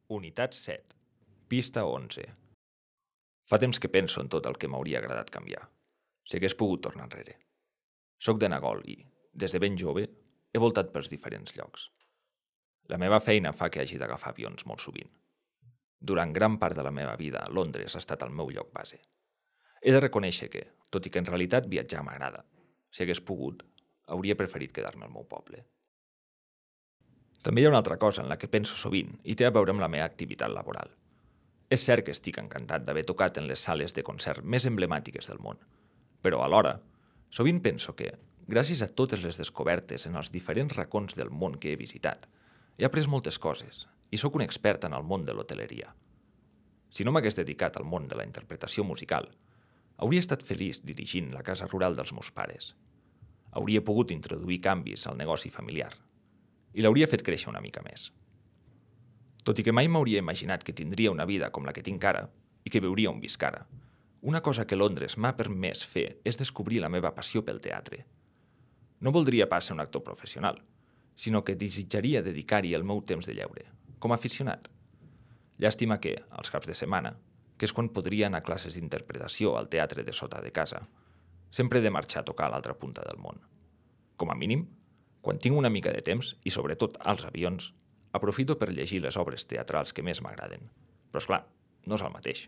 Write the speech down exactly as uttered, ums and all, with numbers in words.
Unitat set. Pista onze. Fa temps que penso en tot el que m'hauria agradat canviar. Si hagués pogut tornar enrere. Soc de Nagol i, des de ben jove, he voltat pels diferents llocs. La meva feina fa que hagi d'agafar avions molt sovint. Durant gran part de la meva vida, Londres ha estat el meu lloc base. He de reconèixer que, tot i que en realitat viatjar m'agrada, si hagués pogut, hauria preferit quedar-me al meu poble. També hi ha una altra cosa en la que penso sovint i té a veure amb la meva activitat laboral. És cert que estic encantat d'haver tocat en les sales de concert més emblemàtiques del món, però alhora, sovint penso que, gràcies a totes les descobertes en els diferents racons del món que he visitat, he après moltes coses i sóc un expert en el món de l'hoteleria. Si no m'hagués dedicat al món de la interpretació musical, hauria estat feliç dirigint la casa rural dels meus pares. Hauria pogut introduir canvis al negoci familiar i l'hauria fet créixer una mica més. Tot i que mai m'hauria imaginat que tindria una vida com la que tinc ara i que viuria on visc ara, una cosa que Londres m'ha permès fer és descobrir la meva passió pel teatre. No voldria pas ser un actor professional, sinó que desitjaria dedicar-hi el meu temps de lleure, com a aficionat. Llàstima que, als caps de setmana, que és quan podria anar a classes d'interpretació al teatre de sota de casa, sempre he de marxar a tocar a l'altra punta del món. Com a mínim, quan tinc una mica de temps, i sobretot als avions, aprofito per llegir les obres teatrals que més m'agraden. Però, esclar, no és el mateix.